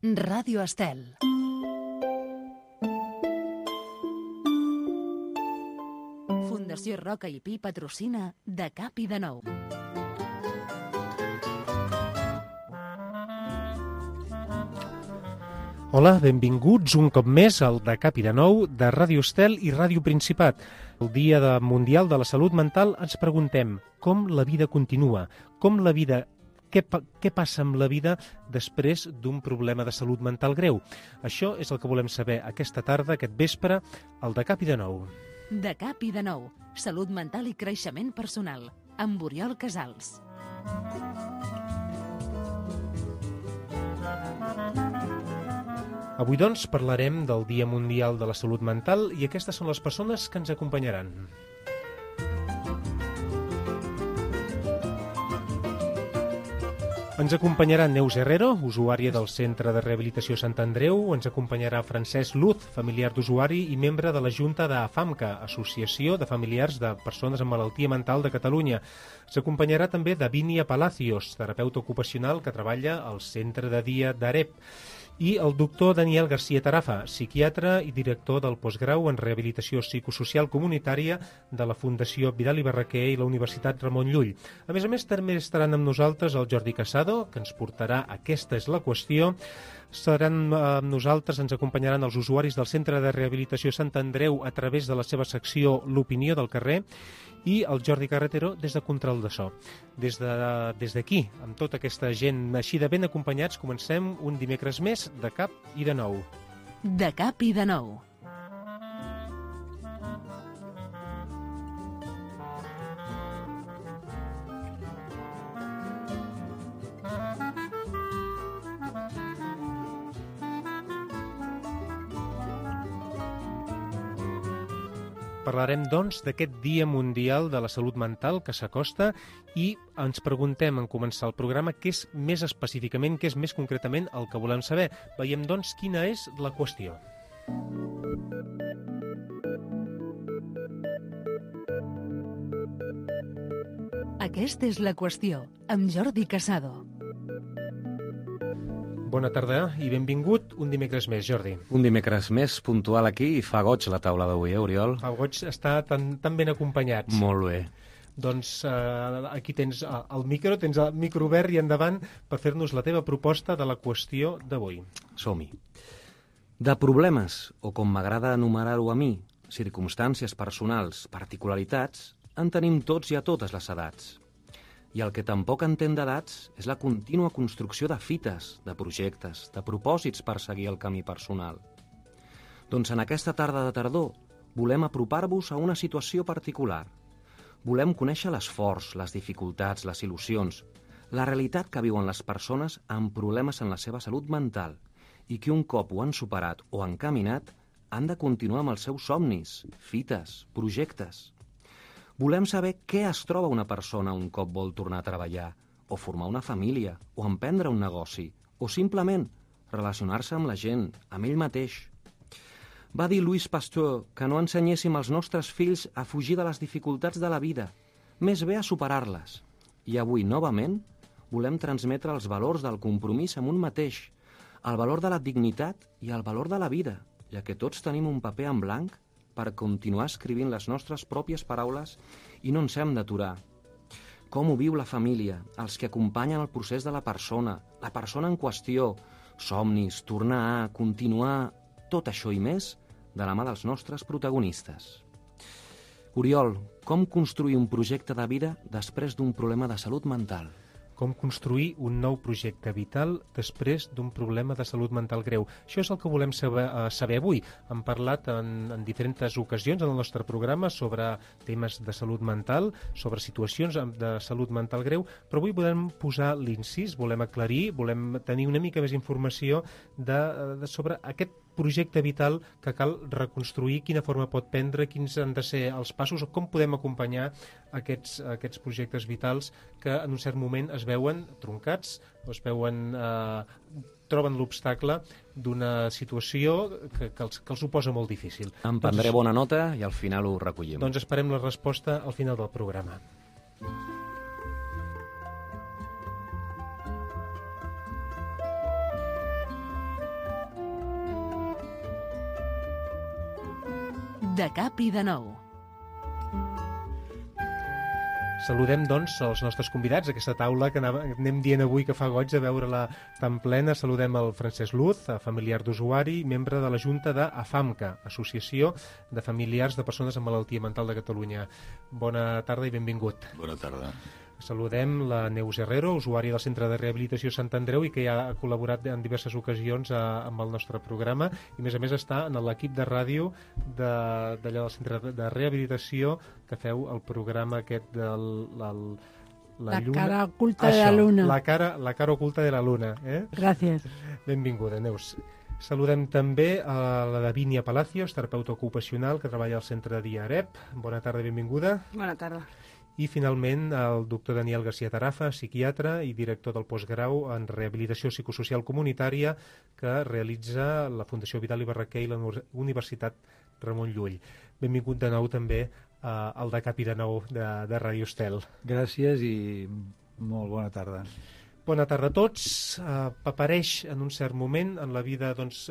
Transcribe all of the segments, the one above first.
Ràdio Estel. Fundació Roca i Pi patrocina De Cap i de Nou. Hola, benvinguts un cop més al De Cap i de Nou de Ràdio Estel i Ràdio Principat. El Dia Mundial de la Salut Mental ens preguntem com la vida continua, què passa amb la vida després d'un problema de salut mental greu. Això és el que volem saber aquesta tarda, aquest vespre, al De Cap i de Nou. De Cap i de Nou, salut mental i creixement personal, amb Oriol Casals. Avui, doncs, parlarem del Dia Mundial de la Salut Mental i aquestes són les persones que ens acompanyaran. Ens acompanyarà Neus Herrero, usuària del Centre de Rehabilitació Sant Andreu. Ens acompanyarà Francesc Luz, familiar d'usuari i membre de la Junta d'AFAMCA, Associació de Familiars de Persones amb Malaltia Mental de Catalunya. Ens acompanyarà també Davinia Palacios, terapeuta ocupacional que treballa al Centre de Dia d'AREP. I el doctor Daniel García Tarafa, psiquiatre i director del postgrau en Rehabilitació Psicosocial Comunitària de la Fundació Vidal i Barraquer i la Universitat Ramon Llull. A més, també estaran amb nosaltres el Jordi Casado, que ens portarà Aquesta és la qüestió. Seran amb nosaltres, ens acompanyaran els usuaris del Centre de Rehabilitació Sant Andreu a través de la seva secció L'Opinió del Carrer, i el Jordi Carretero des de Control de So. Des d'aquí, amb tota aquesta gent així de ben acompanyats, comencem un dimecres més de Cap i de Nou. De Cap i de Nou. Parlarem, doncs, d'aquest Dia Mundial de la Salut Mental que s'acosta i ens preguntem, en començar el programa, què és més específicament, què és més concretament el que volem saber. Veiem, doncs, quina és la qüestió. Aquesta és la qüestió, amb Jordi Casado. Bona tarda i benvingut un dimecres més, Jordi. Un dimecres més puntual aquí i fa goig la taula d'avui, Oriol? Fa goig estar tan ben acompanyats. Molt bé. Doncs aquí tens el micro obert i endavant per fer-nos la teva proposta de la qüestió d'avui. Som-hi. De problemes, o com m'agrada enumerar-ho a mi, circumstàncies personals, particularitats, en tenim tots i a totes les edats. I el que tampoc entén d'edats és la contínua construcció de fites, de projectes, de propòsits per seguir el camí personal. Doncs en aquesta tarda de tardor volem apropar-vos a una situació particular. Volem conèixer l'esforç, les dificultats, les il·lusions, la realitat que viuen les persones amb problemes en la seva salut mental i que un cop ho han superat o han caminat han de continuar amb els seus somnis, fites, projectes. Volem saber què es troba una persona un cop vol tornar a treballar, o formar una família, o emprendre un negoci, o simplement relacionar-se amb la gent, amb ell mateix. Va dir Louis Pasteur que no ensenyéssim als nostres fills a fugir de les dificultats de la vida, més bé a superar-les. I avui, novament, volem transmetre els valors del compromís amb un mateix, el valor de la dignitat i el valor de la vida, ja que tots tenim un paper en blanc per continuar escrivint les nostres pròpies paraules i no ens hem d'aturar. Com ho viu la família, els que acompanyen el procés de la persona en qüestió, somnis, tornar a, continuar, tot això i més de la mà dels nostres protagonistes. Oriol, com construir un projecte de vida després d'un problema de salut mental? Com construir un nou projecte vital després d'un problema de salut mental greu. Això és el que volem saber avui. Hem parlat en diferents ocasions en el nostre programa sobre temes de salut mental, sobre situacions de salut mental greu, però avui volem posar l'incís, volem aclarir, volem tenir una mica més informació sobre aquest projecte vital que cal reconstruir, quina forma pot prendre, quins han de ser els passos o com podem acompanyar aquests projectes vitals que en un cert moment es veuen troncats o es veuen troben l'obstacle d'una situació que els ho posa molt difícil. En prendré bona nota i al final ho recollim. Doncs esperem la resposta al final del programa. De cap i de nou. Saludem, doncs, els nostres convidats, aquesta taula que anem dient avui que fa goig de veure-la tan plena. Saludem el Francesc Luz, familiar d'usuari, membre de la Junta d'AFAMCA, Associació de Familiars de Persones amb Malaltia Mental de Catalunya. Bona tarda i benvingut. Bona tarda. Saludem la Neus Herrero, usuària del Centre de Rehabilitació Sant Andreu i que ja ha col·laborat en diverses ocasions amb el nostre programa i, a més, està en l'equip de ràdio d'allà del Centre de Rehabilitació que feu el programa aquest de la lluna. Cara oculta de la luna. La cara oculta de la luna. Gràcies. Benvinguda, Neus. Saludem també a la Davínia Palacios, terapeuta ocupacional que treballa al Centre DIAREP. Bona tarda i benvinguda. Bona tarda. I, finalment, el doctor Daniel García Tarafa, psiquiatre i director del postgrau en Rehabilitació Psicosocial Comunitària que realitza la Fundació Vidal i Barraquer i la Universitat Ramon Llull. Benvingut de nou també al De Cap i de Nou de Ràdio Estel. Gràcies i molt bona tarda. Bona tarda a tots. Apareix en un cert moment en la vida, doncs,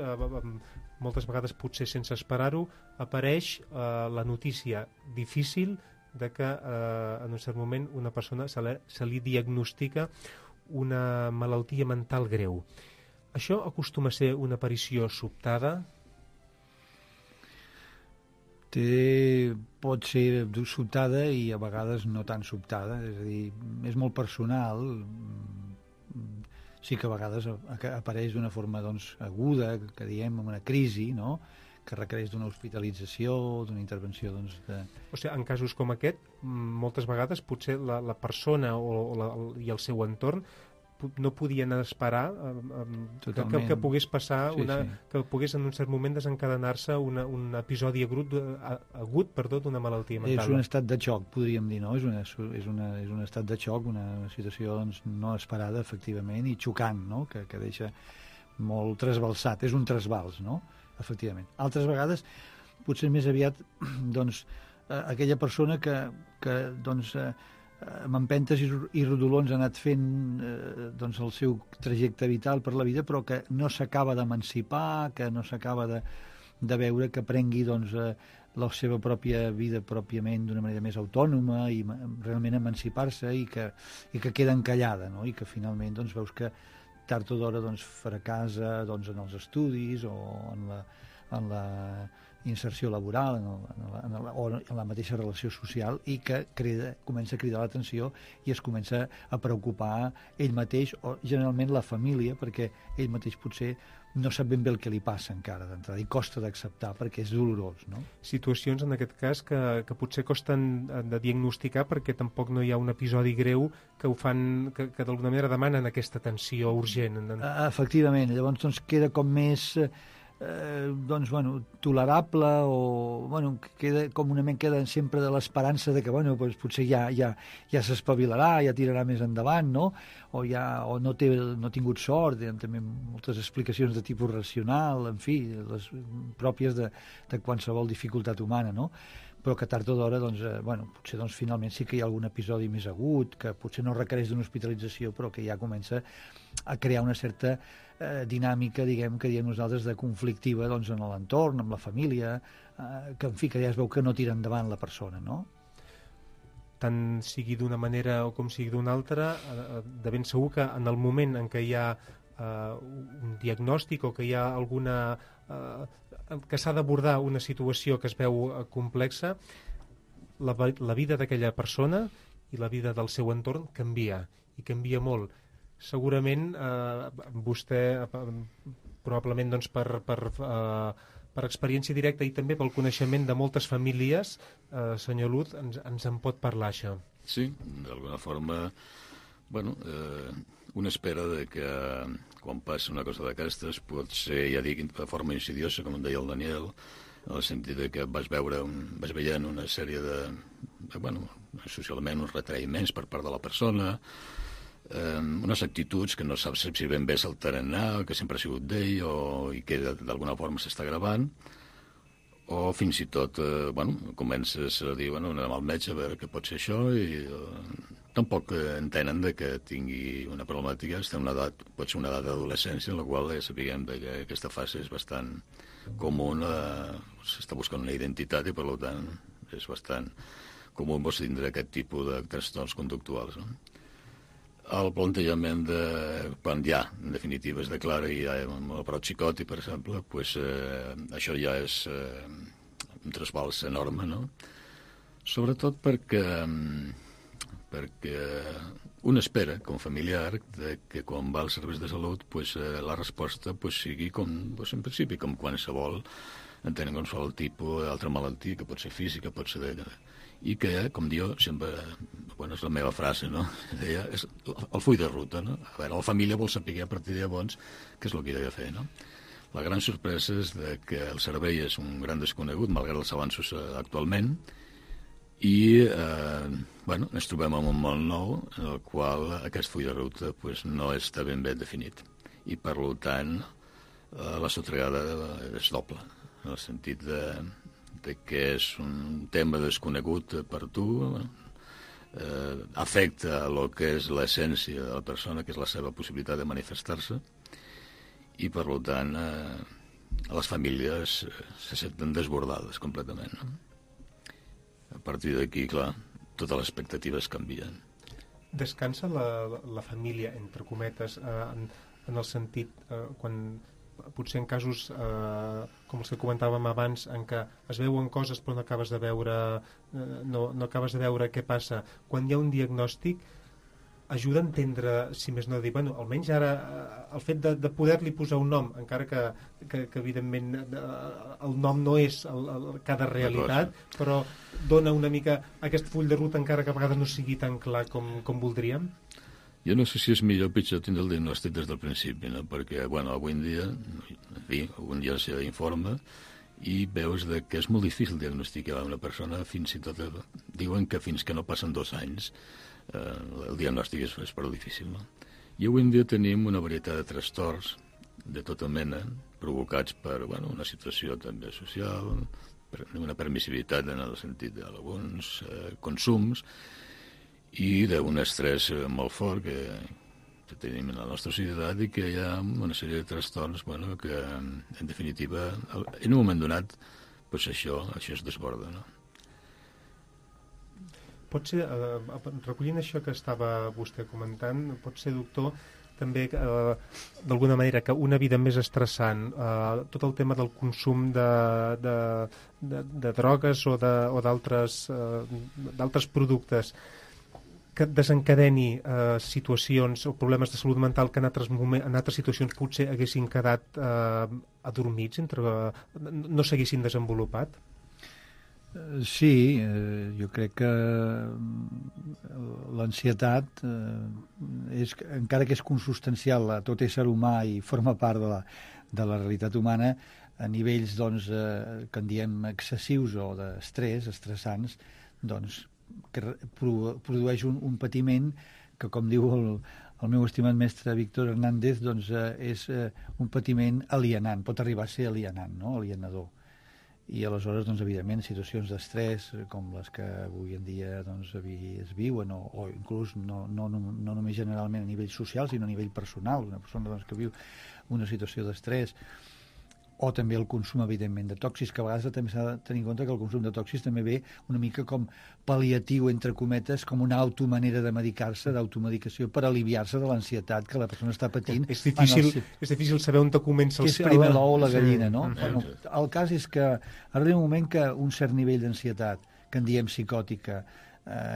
moltes vegades potser sense esperar-ho, apareix la notícia difícil de que en un cert moment una persona se li diagnostica una malaltia mental greu. Això acostuma a ser una aparició sobtada? Pot ser sobtada i a vegades no tan sobtada, és a dir, és molt personal. Sí que a vegades apareix d'una forma aguda, que diem, una crisi, no?, que requereix d'una hospitalització, d'una intervenció O sigui, en casos com aquest, moltes vegades potser la persona i el seu entorn no podien esperar que pogués passar, que pogués en un cert moment desencadenar-se un episodi agut d'una malaltia mental. És un estat de xoc, podríem dir, no? És un estat de xoc, una situació no esperada, efectivament, i xocant, no?, que deixa molt trasbalsat. És un trasbals, no?, efectivament. Altres vegades, potser més aviat, aquella persona que amb empentes i rodolons ha anat fent el seu trajecte vital per la vida, però que no s'acaba d'emancipar, que no s'acaba de veure que prengui la seva pròpia vida pròpiament d'una manera més autònoma i realment emancipar-se i que queda encallada, no?, i que finalment veus que tard o d'hora fracassa en els estudis o en la inserció laboral o en la mateixa relació social i que comença a cridar l'atenció i es comença a preocupar ell mateix o generalment la família, perquè ell mateix potser no sap ben bé el que li passa encara d'entrada i costa d'acceptar perquè és dolorós, no? Situacions en aquest cas que potser costen de diagnosticar perquè tampoc no hi ha un episodi greu que ho fan, que d'alguna manera demanen aquesta atenció urgent. Efectivament, llavors queda com més tolerable o queda sempre de l'esperança de que potser ja s'espavilarà, ja tirarà més endavant, no? O no ha tingut sort, hi ha també moltes explicacions de tipus racional, en fi, les pròpies de qualsevol dificultat humana, no? Però que tard o d'hora, potser finalment sí que hi ha algun episodi més agut, que potser no requereix d'una hospitalització, però que ja comença a crear una certa dinàmica, que diem nosaltres, de conflictiva en l'entorn, amb la família, que en fi, que ja es veu que no tira endavant la persona, no? Tant sigui d'una manera o com sigui d'una altra, de ben segur que en el moment en què hi ha un diagnòstic o que hi ha alguna... que s'ha d'abordar una situació que es veu complexa, la vida d'aquella persona i la vida del seu entorn canvia, i canvia molt. Segurament vostè, probablement per experiència directa i també pel coneixement de moltes famílies, senyor Luz, ens en pot parlar, això. Sí, d'alguna forma, una espera de que quan passa una cosa d'aquestes pot ser, ja dic, de forma insidiosa, com deia el Daniel, en el sentit que vas veient una sèrie socialment uns retraïments per part de la persona, unes actituds que no saps si ben bé se'l tarannà, que sempre ha sigut d'ell i que d'alguna forma s'està gravant, o fins i tot comences a dir, anem al metge a veure què pot ser això, i tampoc entenen de que tingui una problemàtica, pot ser una edat d'adolescència en la qual sapiguem que aquesta fase és bastant comú, s'està buscant una identitat i per tant és bastant comú tindre aquest tipus de trastorns conductuals, no? El plantejament de quan ja, en definitiva, es declara i hi ha un brot psicòtic, per exemple, pues, això ja és un trasbals enorme, no? Sobretot perquè un espera, com familiar, que quan va als serveis de salut pues, la resposta pues, sigui com, pues, en principi, com qualsevol, entenent qualsevol tipus d'altra malaltia, que pot ser física, pot ser i que, com diu, sempre, bueno, és la meva frase, no? Deia, és el full de ruta, no? A veure, la família vol saber a partir de llavors què és el que hi ha de fer, no? La gran sorpresa és que el servei és un gran desconegut, malgrat els avanços actualment, i bueno, ens trobem en un món nou en el qual aquest full de ruta pues, no està ben definit. I, per tant, la sotragada és doble, en el sentit de que és un tema desconegut per tu, afecta el que és l'essència de la persona, que és la seva possibilitat de manifestar-se, i per tant les famílies se senten desbordades completament, no? A partir d'aquí, clar, totes les expectatives canvien. Descansa la família, entre cometes, en el sentit, quan potser en casos com els que comentàvem abans, en què es veuen coses però no acabes de veure no acabes de veure què passa, quan hi ha un diagnòstic ajuda a entendre, si més no dir, bueno, almenys ara el fet de poder-li posar un nom, encara que evidentment el nom no és cada realitat, però dona una mica aquest full de ruta, encara que a vegades no sigui tan clar com voldríem. Jo no sé si és millor o pitjor tindre el diagnòstic des del principi, no? Perquè, bueno, avui en dia, en fi, algun dia s'informa i veus que és molt difícil diagnosticar una persona, fins i tot diuen que fins que no passen 2 anys el diagnòstic és prou difícil, no? I avui en dia tenim una varietat de trastorns de tota mena, provocats per, bueno, una situació també social, una permissivitat en el sentit d'alguns consums, i d'un estrès molt fort que tenim en la nostra societat i que hi ha una sèrie de trastorns, bueno, que en definitiva en un moment donat pues això es desborda, no? Pot ser, recollint això que estava vostè comentant, pot ser, doctor, també d'alguna manera que una vida més estressant, tot el tema del consum de drogues o d'altres productes que desencadeni situacions o problemes de salut mental que en altres situacions potser haguessin quedat adormits, no s'haguessin desenvolupat? Sí, jo crec que l'ansietat, encara que és consustancial a tot ésser humà i forma part de la realitat humana, a nivells doncs, que en diem excessius o d'estrès, estressants, doncs, que produeix un patiment que, com diu el meu estimat mestre Víctor Hernández, doncs, és un patiment alienant, pot arribar a ser alienant, no? Alienador. I aleshores, doncs, evidentment, situacions d'estrès com les que avui en dia doncs, es viuen, o inclús no només generalment a nivell social, sinó a nivell personal, una persona doncs, que viu una situació d'estrès, o també el consum, evidentment, de tòxics, que a vegades també s'ha de tenir en compte que el consum de tòxics també ve una mica com pal·liatiu, entre cometes, com una automanera de medicar-se, d'automedicació, per aliviar-se de l'ansietat que la persona està patint. És difícil saber on comença el cel. Que és primer l'ou o la gallina, no? Bueno, el cas és que arriba un moment que un cert nivell d'ansietat, que en diem psicòtica,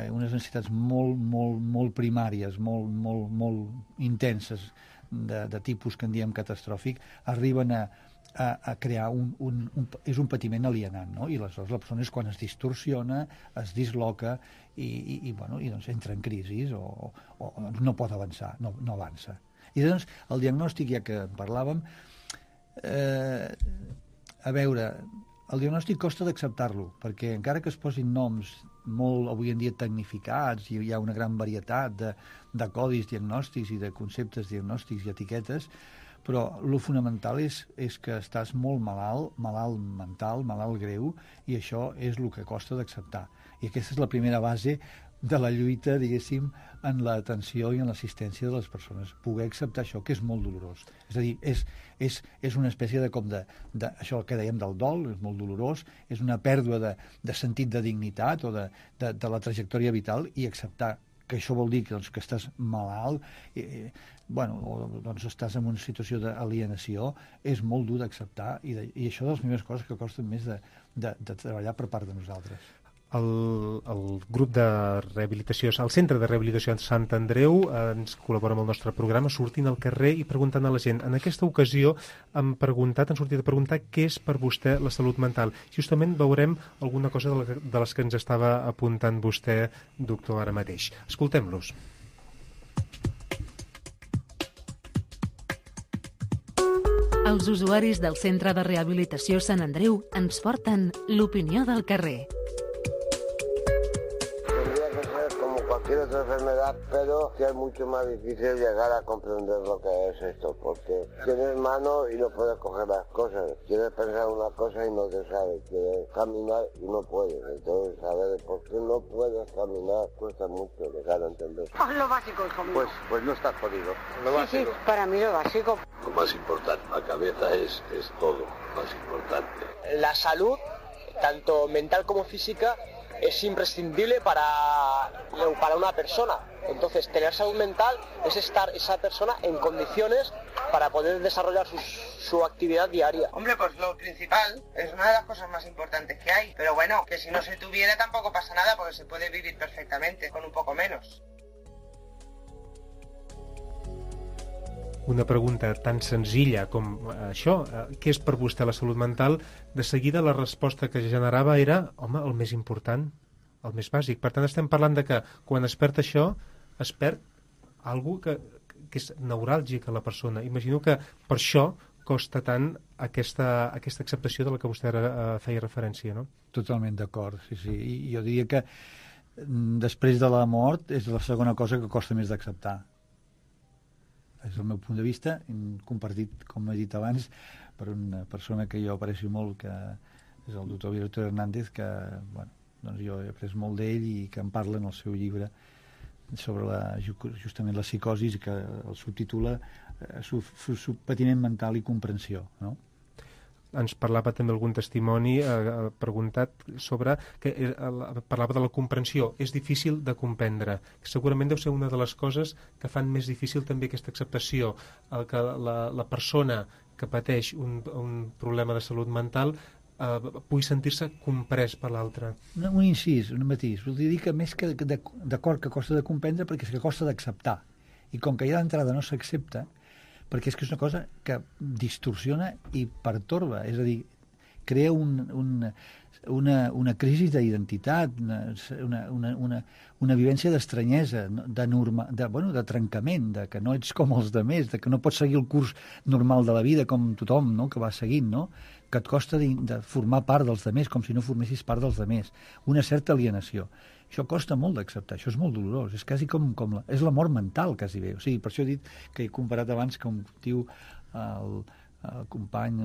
unes ansietats molt primàries, molt intenses, de tipus que en diem catastròfic, arriben a crear és un patiment alienant, no? I aleshores la persona és quan es distorsiona, es disloca i doncs entra en crisi o no pot avançar, no avança. I doncs el diagnòstic, ja que en parlàvem, a veure, el diagnòstic costa d'acceptar-lo, perquè encara que es posin noms molt avui en dia tecnificats i hi ha una gran varietat de codis diagnòstics i de conceptes diagnòstics i etiquetes, però el fonamental és que estàs molt malalt mental, malalt greu, i això és el que costa d'acceptar. I aquesta és la primera base de la lluita, diguéssim, en l'atenció i en l'assistència de les persones. Poder acceptar això, que és molt dolorós. És a dir, és una espècie de això que dèiem del dol, és molt dolorós, és una pèrdua de sentit de dignitat o de la trajectòria vital, i acceptar que això vol dir que estàs malalt, o estàs en una situació d'alienació, és molt dur d'acceptar, i això de les primeres coses que costen més de treballar per part de nosaltres. El grup de rehabilitació, el Centre de Rehabilitació de Sant Andreu ens col·labora amb el nostre programa sortint al carrer i preguntant a la gent. En aquesta ocasió han sortit a preguntar què és per vostè la salut mental. Justament veurem alguna cosa de les que ens estava apuntant vostè, doctor, ara mateix. Escoltem-los. Els usuaris del Centre de Rehabilitació Sant Andreu ens porten l'opinió del carrer. Cualquier otra enfermedad, pero que es mucho más difícil llegar a comprender lo que es esto, porque tienes mano y no puedes coger las cosas, quieres pensar una cosa y no te sabes, quieres caminar y no puedes, entonces saber por qué no puedes caminar cuesta mucho llegar a entender. Lo básico, conmigo. Pues no estás jodido. Sí, para mí lo básico. Lo más importante, la cabeza es todo más importante. La salud, tanto mental como física, es imprescindible para una persona. Entonces, tener salud mental es estar esa persona en condiciones para poder desarrollar su actividad diaria. Hombre, pues lo principal es una de las cosas más importantes que hay. Pero bueno, que si no se tuviera tampoco pasa nada, porque se puede vivir perfectamente con un poco menos. Una pregunta tan senzilla com això, què és per vostè la salut mental? De seguida la resposta que generava era, home, el més important, el més bàsic. Per tant, estem parlant de que quan es perd això, es perd alguna cosa que és neuràlgic a la persona. Imagino que per això costa tant aquesta acceptació de la que vostè ara feia referència, no? Totalment d'acord, sí. I jo diria que després de la mort és la segona cosa que costa més d'acceptar. És el meu punt de vista, compartit, com he dit abans, per una persona que jo aprecio molt, que és el doctor Víctor Hernández, que doncs jo he après molt d'ell i que en parla en el seu llibre sobre justament la psicosi, que el subtitula Patiment mental i comprensió, no? Ens parlava també algun testimoni preguntat sobre parlava de la comprensió. És difícil de comprendre. Segurament deu ser una de les coses que fan més difícil també aquesta acceptació, que la persona que pateix un problema de salut mental pugui sentir-se comprès per l'altre. Un incís, un matís. Voldria dir que més que d'acord que costa de comprendre, perquè és que costa d'acceptar. I com que ja d'entrada no s'accepta, perquè és que és una cosa que distorsiona i pertorba, és a dir, crea una crisi d'identitat, una vivència d'estranyesa, de trencament, de que no ets com els demés, de que no pots seguir el curs normal de la vida com tothom, no?, que va seguint, no?, que et costa de formar part dels demés, com si no formessis part dels demés, una certa alienació. Això costa molt d'acceptar, això és molt dolorós, és quasi és la mort mental, quasi bé. O sigui, per això he dit que he comparat abans que un diu el company,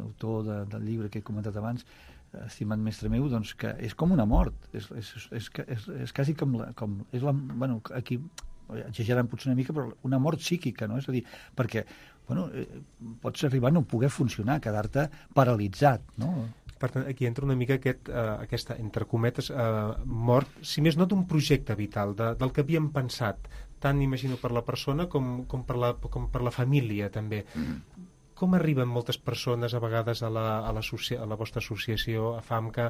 autor del llibre que he comentat abans, estimat mestre meu, doncs que és com una mort, és quasi com aquí exagerant potser una mica, però una mort psíquica, no? És a dir, perquè pots arribar a no poder funcionar, quedar-te paralitzat, no? Per tant, aquí entra una mica aquesta, entre cometes, mort, si més no d'un projecte vital, del que havíem pensat, tant imagino per la persona com per la família també. Com arriben moltes persones a vegades a la vostra associació, a FAMCA,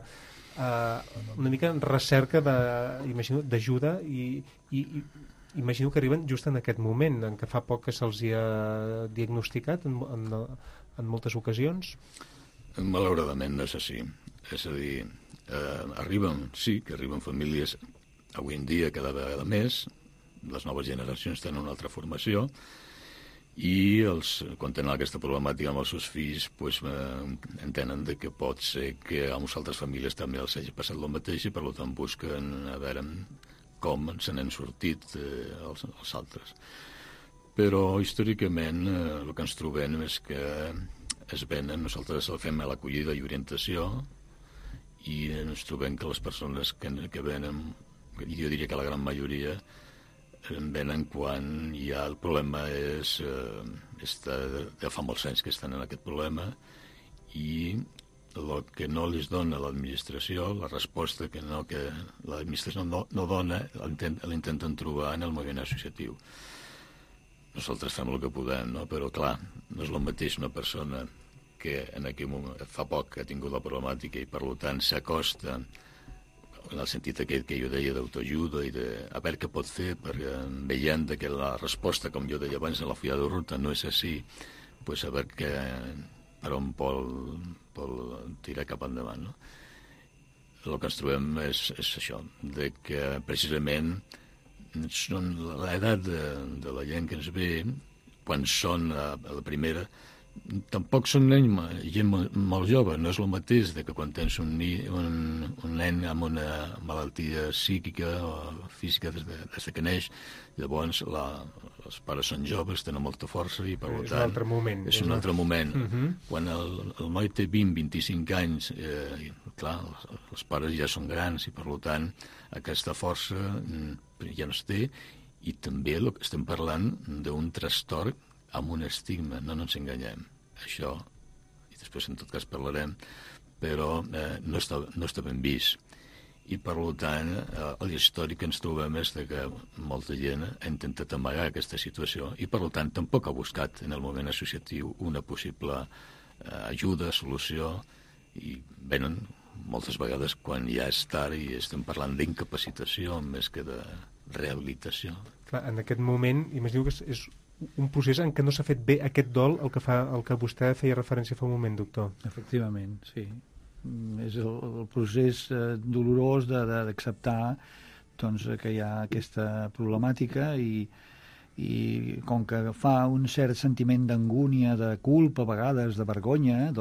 una mica en recerca d'ajuda i imagino que arriben just en aquest moment, en què fa poc que se'ls ha diagnosticat en moltes ocasions? Malauradament no és així. És a dir, arriben famílies avui en dia cada vegada més, les noves generacions tenen una altra formació i quan tenen aquesta problemàtica amb els seus fills entenen que pot ser que a unes altres famílies també els hagi passat el mateix i per tant busquen a veure com se n'han sortit els altres. Però històricament el que ens trobem és que nosaltres fem l'acollida i orientació i ens trobem que les persones que venen jo diria que la gran majoria venen quan ja el problema ja fa molts anys que estan en aquest problema, i el que no les dona l'administració, la resposta que l'administració no dona, l'intenten trobar en el moviment associatiu. Nosaltres fem el que podem, no? Però clar, no és el mateix una persona que en aquell moment, fa poc que ha tingut la problemàtica i per tant s'acosta en el sentit aquest que jo deia d'autoajuda i de a veure què pot fer, perquè veient que la resposta, com jo deia abans, en la fulla de ruta no és així, doncs a veure per on vol tirar cap endavant, no? El que ens trobem és això, de que precisament l'edat de la gent que ens ve, quan són a la primera, tampoc són gent molt jove. No és el mateix que quan tens un nen amb una malaltia psíquica o física des que neix. Llavors els pares són joves, tenen molta força i per tant és un altre moment. Quan el noi té 20-25 anys, clar, els pares ja són grans i per tant aquesta força ja no es té, i també estem parlant d'un trastorn amb un estigma, no ens enganyem. Això, i després en tot cas parlarem, però no està ben vist. I per tant, l'històric que ens trobem és que molta gent ha intentat amagar aquesta situació i per tant tampoc ha buscat en el moviment associatiu una possible ajuda, solució, i venen moltes vegades quan ja és tard i estem parlant d'incapacitació més que de rehabilitació. Clar, en aquest moment, imagino que és un procés en què no s'ha fet bé aquest dol, el que vostè feia referència fa un moment, doctor. Efectivament, sí. És el procés dolorós d'acceptar que hi ha aquesta problemàtica i com que fa un cert sentiment d'angúnia, de culpa, a vegades de vergonya,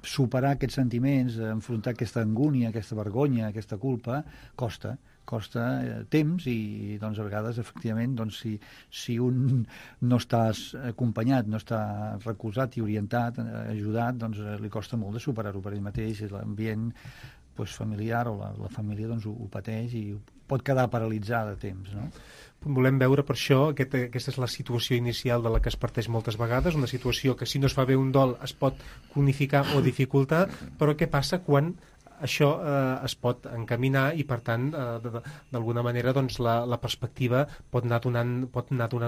superar aquests sentiments, enfrontar aquesta angúnia, aquesta vergonya, aquesta culpa, costa temps i a vegades efectivament si un no està acompanyat, no està recolzat i orientat, ajudat, li costa molt de superar-ho per ell mateix, i l'ambient familiar o la família ho pateix i pot quedar paralitzada a temps, no? Volem veure per això, aquesta és la situació inicial de la que es parteix moltes vegades, una situació que si no es fa bé un dol es pot cronificar o dificultar, però què passa quan això es pot encaminar i, per tant, d'alguna manera la perspectiva pot anar donant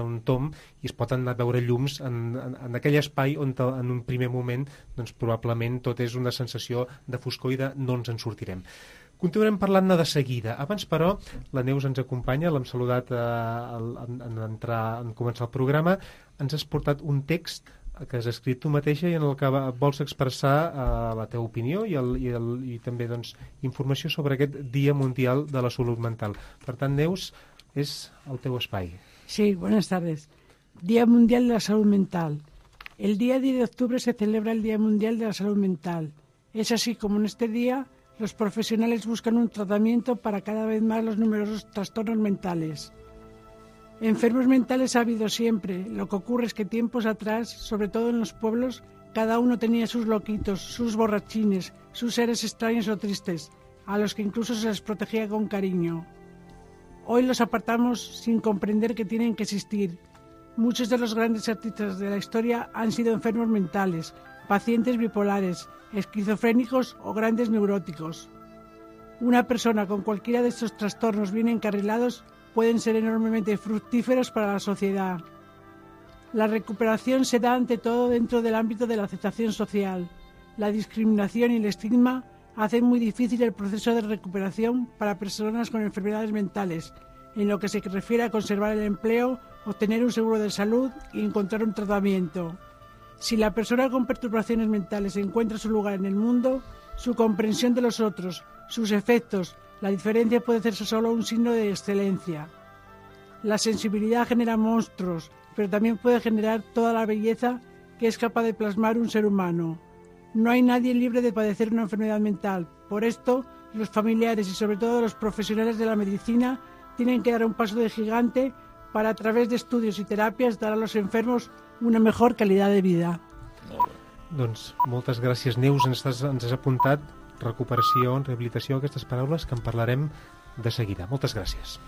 un tomb i es pot anar a veure llums en aquell espai on en un primer moment probablement tot és una sensació de foscor i de no ens en sortirem. Continuarem parlant-ne de seguida. Abans, però, la Neus ens acompanya, l'hem saludat en començar el programa. Ens has portat un text que has escrit tu mateixa i en el que vols expressar la teva opinió i també informació sobre aquest Dia Mundial de la Salut Mental. Per tant, Neus, és el teu espai. Sí, buenas tardes. Día Mundial de la Salud Mental. El día 10 de octubre se celebra el Día Mundial de la Salud Mental. Es así como en este día los profesionales buscan un tratamiento para cada vez más los numerosos trastornos mentales. Enfermos mentales ha habido siempre. Lo que ocurre es que tiempos atrás, sobre todo en los pueblos, cada uno tenía sus loquitos, sus borrachines, sus seres extraños o tristes, a los que incluso se les protegía con cariño. Hoy los apartamos sin comprender que tienen que existir. Muchos de los grandes artistas de la historia han sido enfermos mentales, pacientes bipolares, esquizofrénicos o grandes neuróticos. Una persona con cualquiera de estos trastornos bien encarrilados pueden ser enormemente fructíferos para la sociedad. La recuperación se da ante todo dentro del ámbito de la aceptación social. La discriminación y el estigma hacen muy difícil el proceso de recuperación para personas con enfermedades mentales, en lo que se refiere a conservar el empleo, obtener un seguro de salud y encontrar un tratamiento. Si la persona con perturbaciones mentales encuentra su lugar en el mundo, su comprensión de los otros, sus efectos, la diferencia puede hacerse solo un signo de excelencia. La sensibilidad genera monstruos, pero también puede generar toda la belleza que es capaz de plasmar un ser humano. No hay nadie libre de padecer una enfermedad mental. Por esto, los familiares y sobre todo los profesionales de la medicina tienen que dar un paso de gigante para, a través de estudios y terapias, dar a los enfermos una mejor calidad de vida. Doncs moltes gràcies, Neus. Ens has apuntat recuperació, rehabilitació, aquestes paraules que en parlarem de seguida. Moltes gràcies.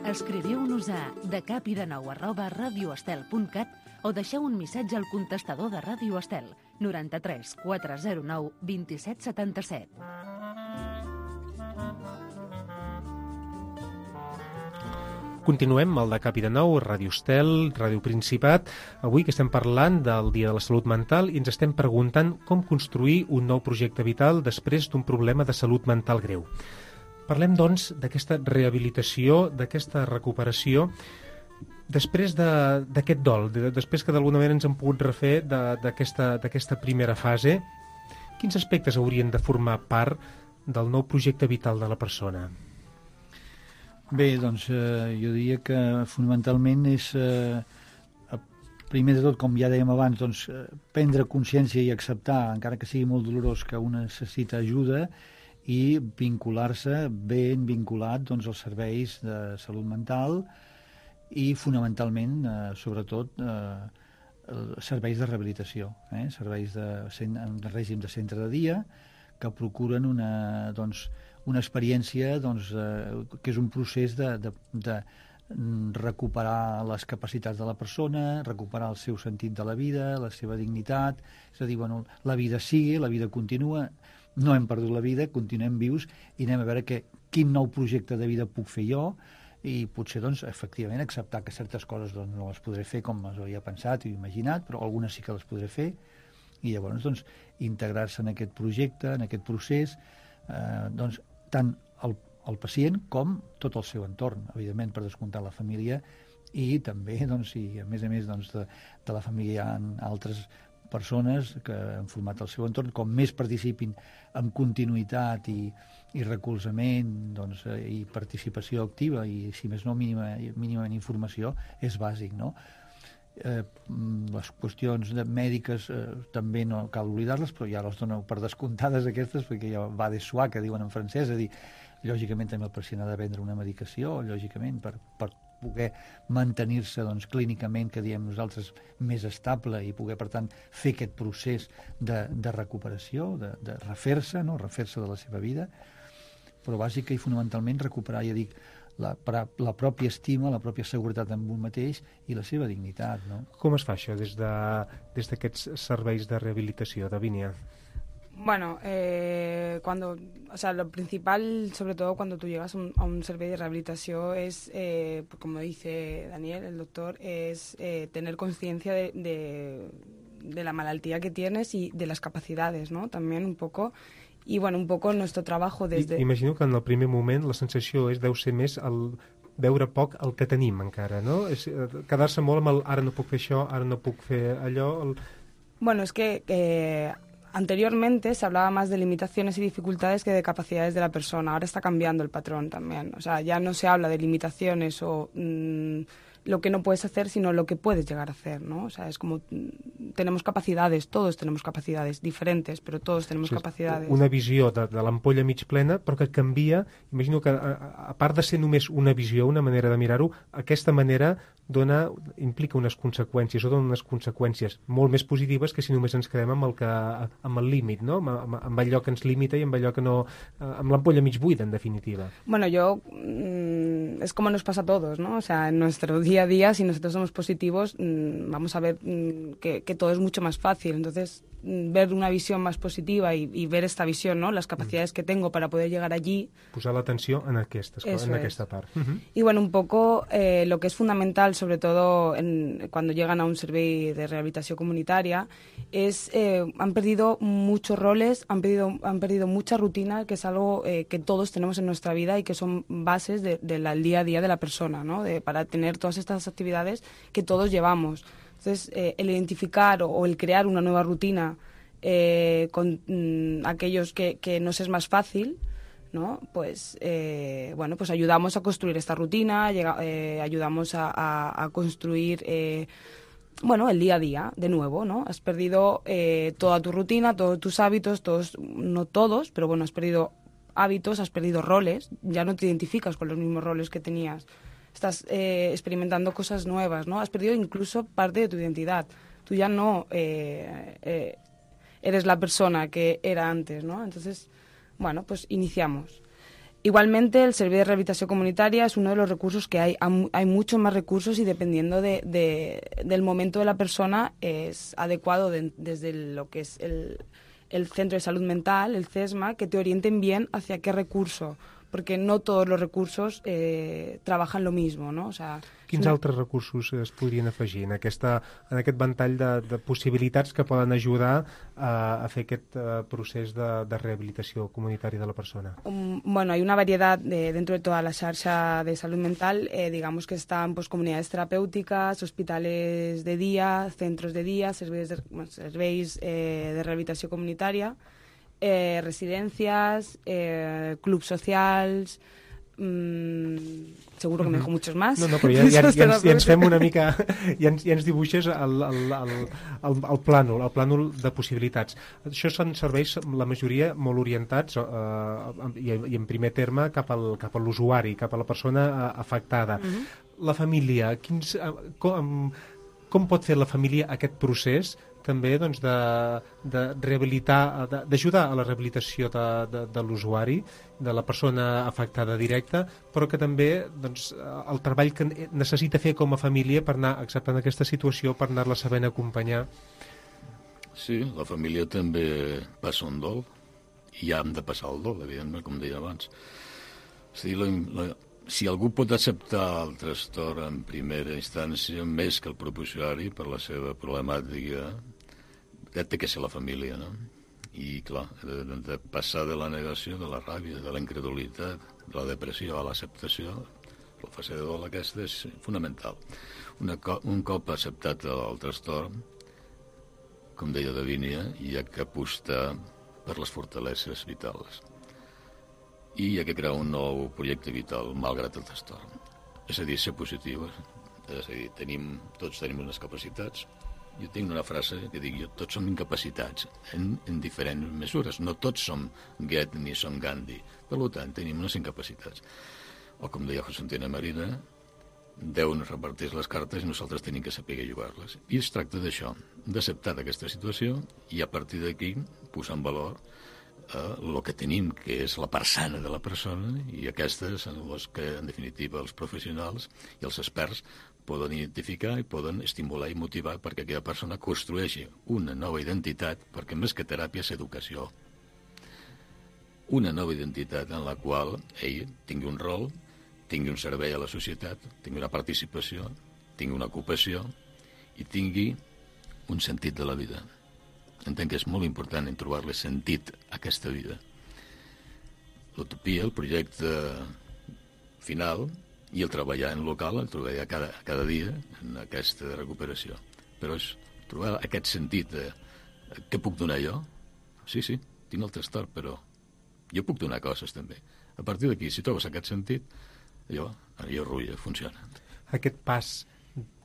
Escriviu-nos a decapidenou@radioestel.cat o deixeu un missatge al contestador de Ràdio Estel 93 409 2777. Continuem al Decapi de Nou, Ràdio Estel, Ràdio Principat. Avui que estem parlant del Dia de la Salut Mental i ens estem preguntant com construir un nou projecte vital després d'un problema de salut mental greu. Parlem, doncs, d'aquesta rehabilitació, d'aquesta recuperació, després d'aquest dol, després que d'alguna manera ens hem pogut refer d'aquesta primera fase. Quins aspectes haurien de formar part del nou projecte vital de la persona? Bé, doncs jo diria que fonamentalment és, primer de tot, com ja dèiem abans, doncs, prendre consciència i acceptar, encara que sigui molt dolorós, que un necessita ajuda, i vincular-se ben vinculat, doncs, als serveis de salut mental i fonamentalment, sobretot, serveis de rehabilitació, serveis en règim de centre de dia que procuren una experiència que és un procés de recuperar les capacitats de la persona, recuperar el seu sentit de la vida, la seva dignitat, és a dir, bueno, la vida sigue, la vida continua, no hem perdut la vida, continuem vius i anem a veure quin nou projecte de vida puc fer jo i potser, doncs, efectivament, acceptar que certes coses doncs, no les podré fer com les havia pensat i imaginat, però algunes sí que les podré fer i llavors, doncs, integrar-se en aquest projecte, en aquest procés, doncs, tant el pacient com tot el seu entorn, evidentment, per descomptar la família i també, doncs, i a més doncs, de la família hi ha altres persones que han format el seu entorn, com més participin en continuïtat i recolzament, doncs, i participació activa i, si més no, mínimament informació, és bàsic, no? Les qüestions mèdiques també no cal oblidar-les, però ja les dono per descomptades aquestes, perquè ja va de soi, que diuen en francès, és a dir, lògicament també el pacient ha de prendre una medicació, lògicament, per poder mantenir-se, doncs, clínicament, que diem nosaltres, més estable i poder, per tant, fer aquest procés de recuperació, de refer-se, no? Refer-se de la seva vida, però bàsica i fonamentalment recuperar, ja dic, la pròpia estima, la pròpia seguretat en un mateix i la seva dignitat, no? Com es fa això des d'aquests serveis de rehabilitació, Davinia? Bueno, lo principal, sobre todo cuando tú llegas a un servicio de rehabilitación, es, como dice Daniel, el doctor, es tener conciencia de la malaltía que tienes y de las capacidades, ¿no? También un poco. I, bueno, un poc nuestro trabajo desde... Imagino que en el primer moment la sensació deu ser més el veure poc el que tenim encara, no? És quedar-se molt amb el ara no puc fer això, ara no puc fer allò... Bueno, es que anteriormente se hablaba más de limitaciones y dificultades que de capacidades de la persona. Ahora está cambiando el patrón también. O sea, ya no se habla de limitaciones o lo que no puedes hacer, sino lo que puedes llegar a hacer, ¿no? O sea, es como tenemos capacidades, todos tenemos capacidades diferentes, però todos tenemos capacidades. Una visió de l'ampolla mig plena, però que canvia. Imagino que, a part de ser només una visió, una manera de mirar-ho, aquesta manera implica unes conseqüències, o dona unes conseqüències molt més positives que si només ens quedem amb el límit, no? Amb allò que ens limita i amb allò que no... amb l'ampolla mig buida, en definitiva. Bueno, es como nos pasa a todos, ¿no? O sea, en nuestro día a día, si nosotros somos positivos, vamos a ver que todo es mucho más fácil. Entonces, ver una visión más positiva y ver esta visión, ¿no? Las capacidades que tengo para poder llegar allí. Posar l'atenció en aquesta part. Y bueno, un poco lo que es fundamental, sobre todo cuando llegan a un servei de rehabilitación comunitaria, es han perdido muchos roles, han perdido mucha rutina, que es algo que todos tenemos en nuestra vida y que son bases del día a día de la persona, ¿no? Para tener todas estas actividades que todos llevamos. Entonces, el identificar o el crear una nueva rutina con aquellos que nos es más fácil, ¿no? Pues, bueno, pues ayudamos a construir esta rutina, ayudamos a construir, bueno, el día a día, de nuevo, ¿no? Has perdido toda tu rutina, todos tus hábitos, no todos, pero bueno, has perdido hábitos, has perdido roles, ya no te identificas con los mismos roles que tenías. Estás experimentando cosas nuevas, ¿no? Has perdido incluso parte de tu identidad. Tú ya no eres la persona que era antes, ¿no? Entonces, bueno, pues iniciamos. Igualmente, el Servei de Rehabilitació Comunitària es uno de los recursos que hay. Hay muchos más recursos y dependiendo del momento de la persona es adecuado desde lo que es el Centro de Salud Mental, el CESMA, que te orienten bien hacia qué recurso, perquè no tots els recursos treballen lo mismo, no? O sea, quins altres recursos es podrien afegir en aquest ventall de possibilitats que poden ajudar a fer aquest procés de rehabilitació comunitària de la persona? Bueno, hay una variedad dentro de toda la xarxa de salud mental, digamos que están pues comunidades terapéuticas, hospitales de día, centros de día, serveis de rehabilitació comunitària, residencias, clubs socials, seguro que me dejo muchos más. No, però ja ens fem una mica, ja ens dibuixes el plànol de possibilitats. Això són serveis, la majoria, molt orientats i en primer terme cap a l'usuari, cap a la persona afectada. La família, com pot fer la família aquest procés també doncs, de rehabilitar, d'ajudar a la rehabilitació de l'usuari, de la persona afectada directa, però que també doncs, el treball que necessita fer com a família per anar acceptant aquesta situació, per anar-la sabent acompanyar. Sí, la família també passa un dol, i ja hem de passar el dol, evidentment, com deia abans. Si algú pot acceptar el trastorn en primera instància, més que el propi usuari, per la seva problemàtica, té que ser la família, no? I, clar, de passar de la negació, de la ràbia, de la incredulitat, de la depressió a l'acceptació, la fase de dol aquesta és fonamental. Un cop acceptat el trastorn, com deia Davínia, hi ha que apostar per les fortaleses vitals. I hi ha que crear un nou projecte vital, malgrat el trastorn. És a dir, ser positiu. És a dir, tots tenim unes capacitats. Jo tinc una frase que dic, tots som incapacitats en diferents mesures. No tots som Goethe ni som Gandhi. Per tant, tenim unes incapacitats. O com deia José Antonio Marina, Déu ens reparteix les cartes i nosaltres tenim que saber jugar-les. I es tracta d'això, d'acceptar aquesta situació i a partir d'aquí posar en valor el que tenim, que és la part sana de la persona, i aquestes són les que, en definitiva, els professionals i els experts poden identificar i poden estimular i motivar perquè aquella persona construeixi una nova identitat, perquè més que teràpia és educació. Una nova identitat en la qual ell tingui un rol, tingui un servei a la societat, tingui una participació, tingui una ocupació i tingui un sentit de la vida. Entenc que és molt important en trobar-li sentit a aquesta vida. L'utopia, el projecte final, i el treballar en local, el treballar cada dia en aquesta recuperació. Però és trobar aquest sentit de què puc donar jo? Sí, tinc el trastorn, però jo puc donar coses també. A partir d'aquí, si trobes aquest sentit, allò rulla, funciona. Aquest pas,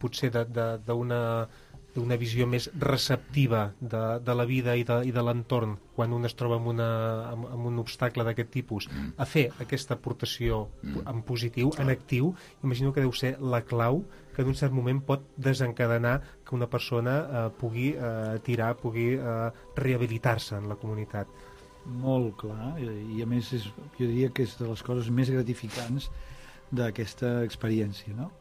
potser d'una visió més receptiva de la vida i de l'entorn quan un es troba amb un obstacle d'aquest tipus, a fer aquesta aportació en positiu, en actiu, imagino que deu ser la clau que en un cert moment pot desencadenar que una persona pugui rehabilitar-se en la comunitat. Molt clar, i a més jo diria que és de les coses més gratificants d'aquesta experiència, no?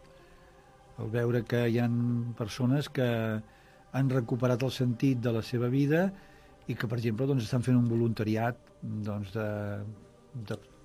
El veure que hi ha persones que han recuperat el sentit de la seva vida i que, per exemple, doncs, estan fent un voluntariat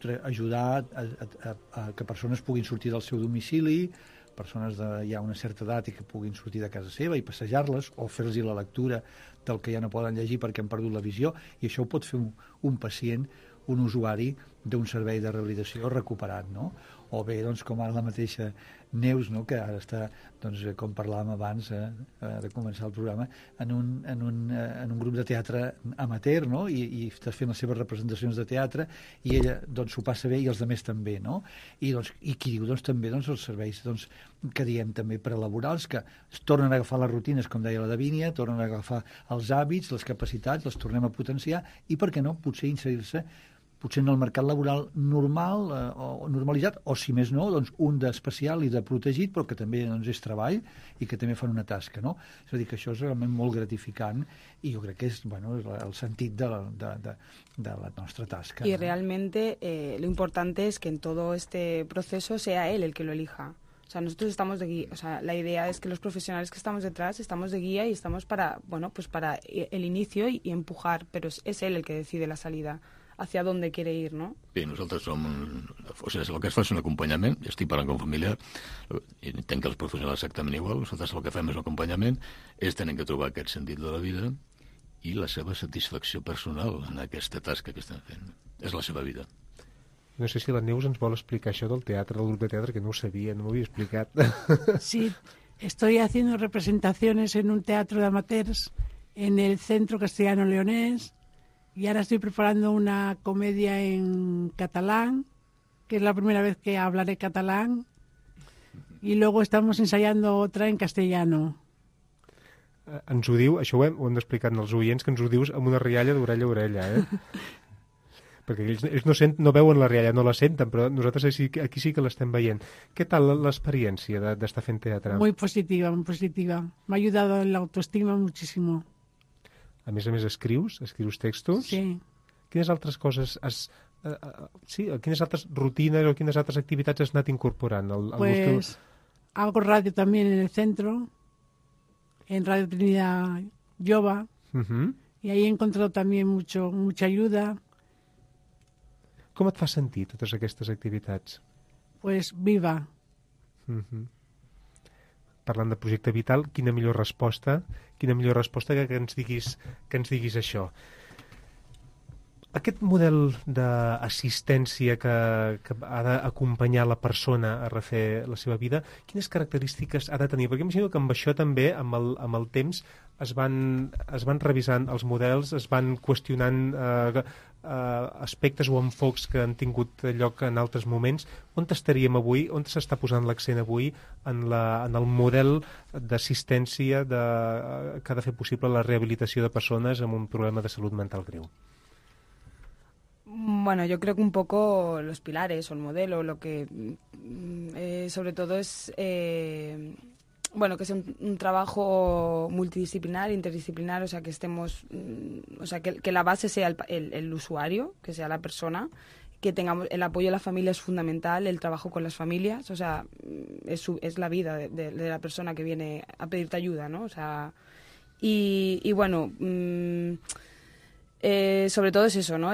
d'ajudar a que persones puguin sortir del seu domicili, persones de ja una certa edat i que puguin sortir de casa seva i passejar-les o fer-los la lectura del que ja no poden llegir perquè han perdut la visió, i això ho pot fer un pacient, un usuari d'un servei de rehabilitació recuperat, no? O bé, doncs, com ara la mateixa Neus, no?, que ara està, doncs, com parlàvem abans de començar el programa, en un grup de teatre amateur, no?, i està fent les seves representacions de teatre, i ella, doncs, s'ho passa bé i els altres també, no? I qui diu, doncs, també, doncs, els serveis, doncs, que diem també prelaborals, que es tornen a agafar les rutines, com deia la Davínia, tornen a agafar els hàbits, les capacitats, les tornem a potenciar, i per què no, potser inserir-se potser en el mercat laboral normal o normalitzat, o si més no, doncs un d'especial i de protegit, però que també doncs, és treball i que també fan una tasca, no? És a dir, que això és realment molt gratificant i jo crec que és el sentit de la nostra tasca. Y realmente lo importante es que en todo este proceso sea él el que lo elija. O sea, nosotros estamos de guía, o sea, la idea es que los profesionales que estamos detrás estamos de guía y estamos para, bueno, pues para el inicio y empujar, pero es él el que decide la salida, hacia dónde quiere ir, ¿no? Bé, nosaltres som... O sigui, el que es fa és un acompanyament, ja estic parlant com familiar, i entenc que els professionals exactament igual, nosaltres el que fem és un acompanyament, ells tenen que trobar aquest sentit de la vida i la seva satisfacció personal en aquesta tasca que estan fent. És la seva vida. No sé si la Neus ens vol explicar això del teatre, del grup de teatre, que no ho sabia, no m'ho havia explicat. Sí, estoy haciendo representaciones en un teatro de amateurs en el Centro Castellano Leonés y ahora estoy preparando una comedia en catalán, que es la primera vez que hablaré catalán, y luego estamos ensayando otra en castellano. Ens ho diu, això ho hem explicat als oients, que ens ho dius amb una rialla d'orella a orella, perquè ells no veuen la rialla, no la senten, però nosaltres aquí sí que l'estem veient. Què tal l'experiència d'estar fent teatre? Muy positiva, muy positiva. Me ha ayudado en la autoestima muchísimo. A més, escrius textos? Sí. Quines altres coses quines altres rutines o quines altres activitats has anat incorporant? Pues hago radio también en el centro, en Radio Trinidad Jova, y ahí he encontrado también mucha ayuda. Com et fa sentir totes aquestes activitats? Pues viva. Parlant de projecte vital, quina millor resposta que ens diguis això. Aquest model d'assistència que ha d'acompanyar la persona a refer la seva vida, quines característiques ha de tenir? Perquè imagino que amb això també, amb el temps, es van revisant els models, es van qüestionant aspectes o enfocs que han tingut lloc en altres moments. On estaríem avui? On s'està posant l'accent avui en el model d'assistència que ha de fer possible la rehabilitació de persones amb un problema de salut mental greu? Bueno, yo creo que un poco los pilares o el modelo, lo que sobre todo es que sea un trabajo multidisciplinar, interdisciplinar, o sea, que estemos, o sea, que la base sea el usuario, que sea la persona, que tengamos el apoyo de la familia es fundamental, el trabajo con las familias, o sea, es la vida de la persona que viene a pedirte ayuda, ¿no? O sea, y bueno, sobre todo es eso, ¿no?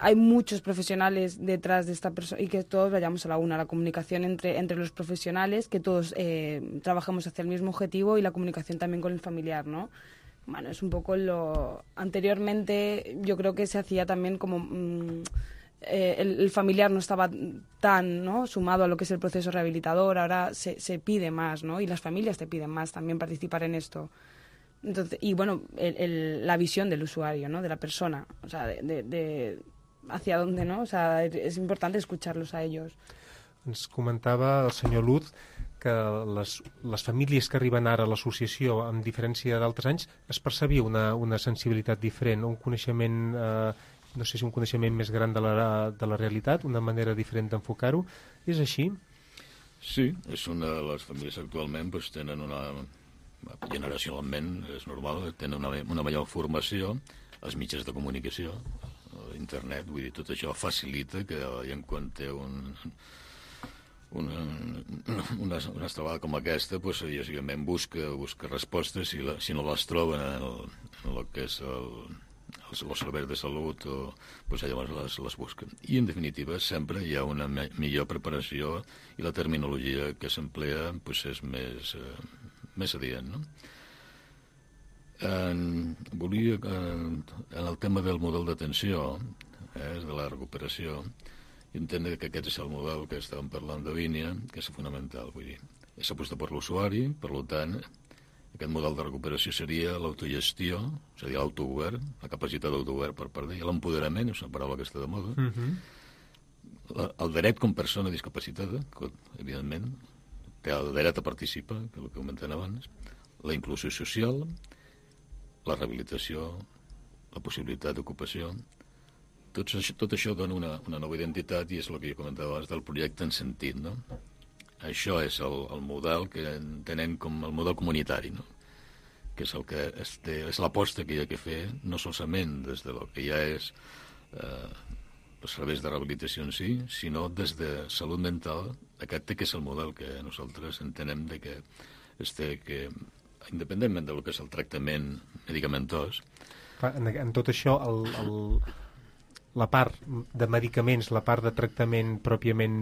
Hay muchos profesionales detrás de esta persona y que todos vayamos a la una, la comunicación entre los profesionales, que todos trabajemos hacia el mismo objetivo y la comunicación también con el familiar, ¿no? Bueno, es un poco anteriormente yo creo que se hacía también como el familiar no estaba tan, ¿no?, sumado a lo que es el proceso rehabilitador, ahora se pide más, ¿no? Y las familias te piden más también participar en esto. Entonces, y bueno, la visión del usuario, ¿no?, de la persona, o sea, de hacia dónde, ¿no? O sea, es importante escucharlos a ellos. Ens comentava el senyor Luz que les famílies que arriben ara a l'associació, amb diferència d'altres anys, es percebia una sensibilitat diferent, un coneixement, no sé si un coneixement més gran de la realitat, una manera diferent d'enfocar-ho. És així? Sí, és una de les famílies actualment doncs, tenen generacionalment, és normal, tenen una major formació, els mitjans de comunicació, internet, vull dir, tot això facilita que en quan té una estrabada com aquesta, doncs, lògicament busca respostes, si no les troben en el que és els serveis de salut, doncs llavors les busquen. I, en definitiva, sempre hi ha una millor preparació i la terminologia que s'emplea és més adient, no? Volia, en el tema del model d'atenció, de la recuperació, entendre que aquest és el model que estàvem parlant de línia, que és fonamental, vull dir. S'aposta per l'usuari, per tant, aquest model de recuperació seria l'autogestió, és a dir, l'autogovern, la capacitat d'autogovern per part d'ell, l'empoderament, és una paraula que està de moda, el dret com persona discapacitada, que, evidentment, té el dret a participar, que és el que comentem abans, la inclusió social, la rehabilitació, la possibilitat d'ocupació, tot això dona una nova identitat i és el que jo comentava abans del projecte en sentit, no? Això és el model que entenem com el model comunitari, no? Que és el que és l'aposta que hi ha que fer, no solament des de lo que ja és els serveis de rehabilitació en si, sinó des de salut mental, aquest que és el model que nosaltres entenem que independentment del que és el tractament medicamentós. En tot això, la part de medicaments, la part de tractament pròpiament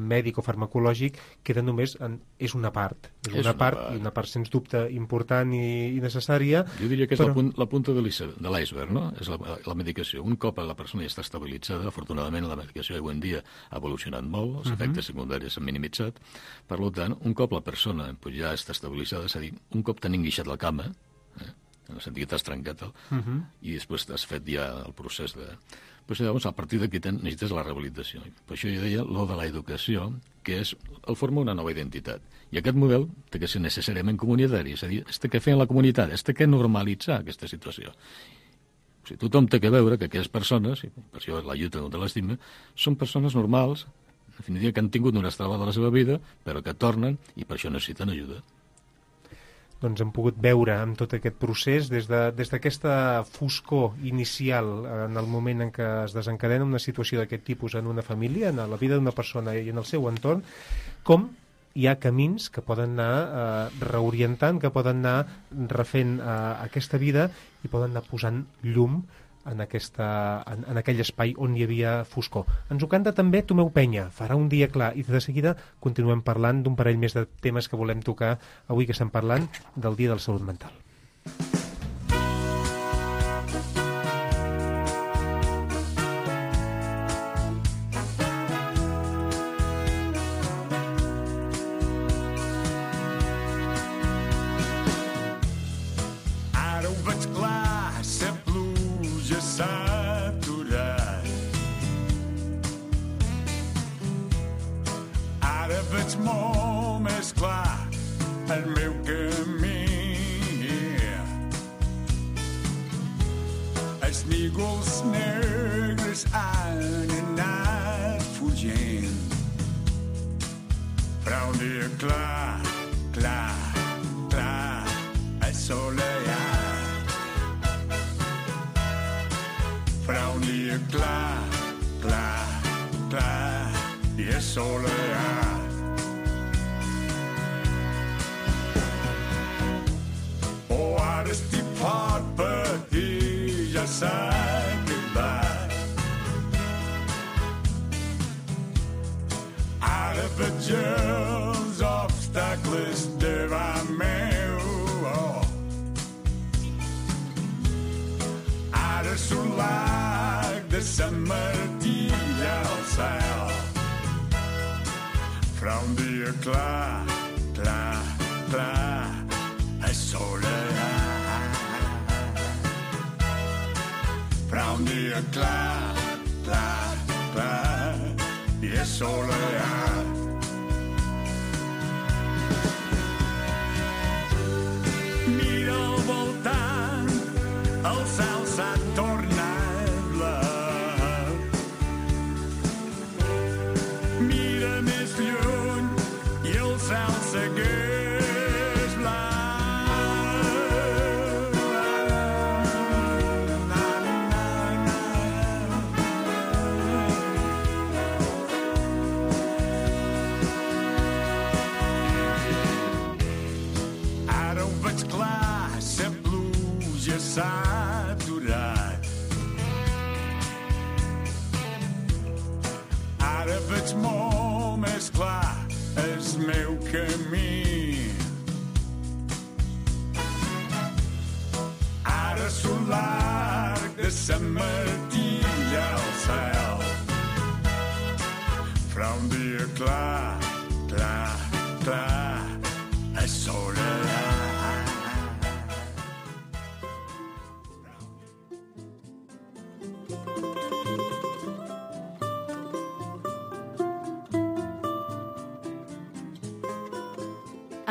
mèdic o farmacològic, queda només és una part. És una part, sens dubte, important i necessària. Jo diria que és la punta de l'iceberg, no? És la medicació. Un cop la persona ja està estabilitzada, afortunadament la medicació avui en dia ha evolucionat molt, els efectes secundaris s'han minimitzat. Per tant, un cop la persona ja està estabilitzada, és a dir, un cop t'han enguixat la cama, en el sentit que t'has trencat i després has fet ja el procés de... Pues, llavors, a partir d'aquí necessites la rehabilitació. Per això jo deia lo de l'educació, que el forma una nova identitat. I aquest model té que ser necessàriament comunitari, és a dir, que fer en la comunitat, que normalitzar aquesta situació. O sigui, tothom té que veure que aquelles persones, i per això la lluita contra l'estigma, són persones normals, en definitiva, que han tingut una estrada de la seva vida, però que tornen i per això necessiten ajuda. Doncs hem pogut veure amb tot aquest procés des d'aquesta foscor inicial en el moment en què es desencadena una situació d'aquest tipus en una família, en la vida d'una persona i en el seu entorn, com hi ha camins que poden anar reorientant, que poden anar refent aquesta vida i poden anar posant llum en aquell espai on hi havia foscor. Ens ho canta també Tomeu Penya, Farà un dia clar, i de seguida continuem parlant d'un parell més de temes que volem tocar avui, que estem parlant del Dia de la Salut Mental.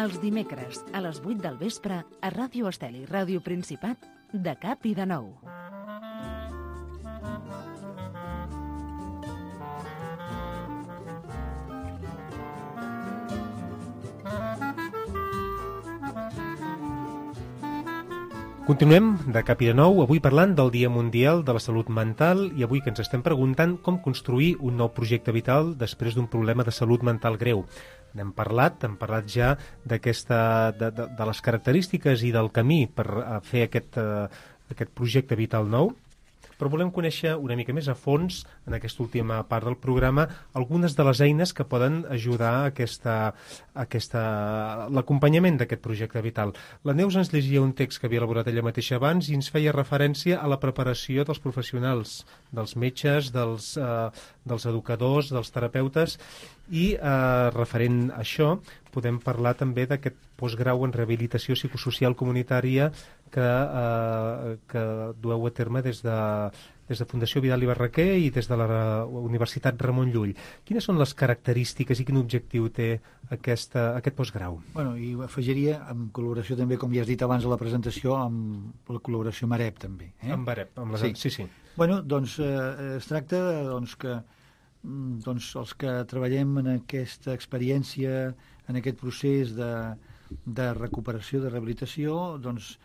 Els dimecres, a les 8 del vespre, a Ràdio Estel i Ràdio Principat, de Cap i de Nou. Continuem de cap i de nou, avui parlant del Dia Mundial de la Salut Mental i avui que ens estem preguntant com construir un nou projecte vital després d'un problema de salut mental greu. N'hem parlat ja de les característiques i del camí per fer aquest projecte vital nou, però volem conèixer una mica més a fons, en aquesta última part del programa, algunes de les eines que poden ajudar a l'acompanyament d'aquest projecte vital. La Neus ens llegia un text que havia elaborat ella mateixa abans i ens feia referència a la preparació dels professionals, dels metges, dels educadors, dels terapeutes, i referent a això podem parlar també d'aquest postgrau en rehabilitació psicosocial comunitària que dueu a terme des de Fundació Vidal i Barraquer i des de la Universitat Ramon Llull. Quines són les característiques i quin objectiu té aquest postgrau? Bueno, i afegiria, en col·laboració també, com ja has dit abans a la presentació, amb la col·laboració amb AREP també. Amb AREP, sí. Bueno, doncs es tracta que els que treballem en aquesta experiència, en aquest procés de recuperació, de rehabilitació, doncs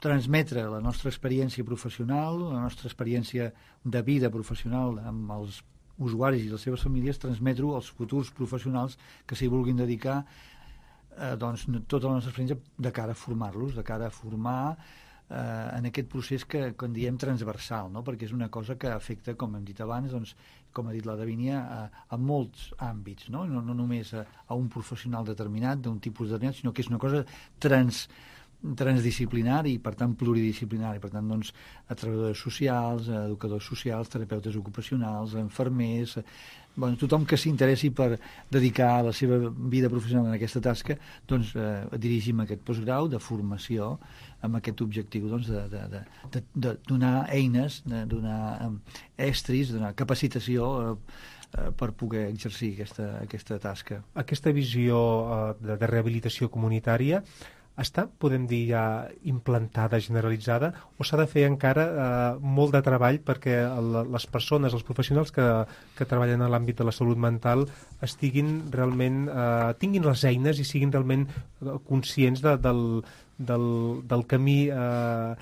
transmetre la nostra experiència professional, la nostra experiència de vida professional amb els usuaris i les seves famílies, transmetre-ho als futurs professionals que s'hi vulguin dedicar tota la nostra experiència de cara a formar-los, de cara a formar en aquest procés que en diem transversal, no? Perquè és una cosa que afecta, com hem dit abans, com ha dit la Davínia, a molts àmbits, no només a un professional determinat, d'un tipus determinat, sinó que és una cosa transdisciplinari i, per tant, pluridisciplinari. Per tant, a treballadors socials, a educadors socials, terapeutes ocupacionals, a infermers, tothom que s'interessi per dedicar la seva vida professional en aquesta tasca, dirigim aquest postgrau de formació amb aquest objectiu de donar eines, de donar estris, de donar capacitació per poder exercir aquesta tasca. Aquesta visió de rehabilitació comunitària està, podem dir, ja implantada, generalitzada, o s'ha de fer encara molt de treball perquè les persones, els professionals que treballen en l'àmbit de la salut mental estiguin realment, tinguin les eines i siguin realment conscients del camí en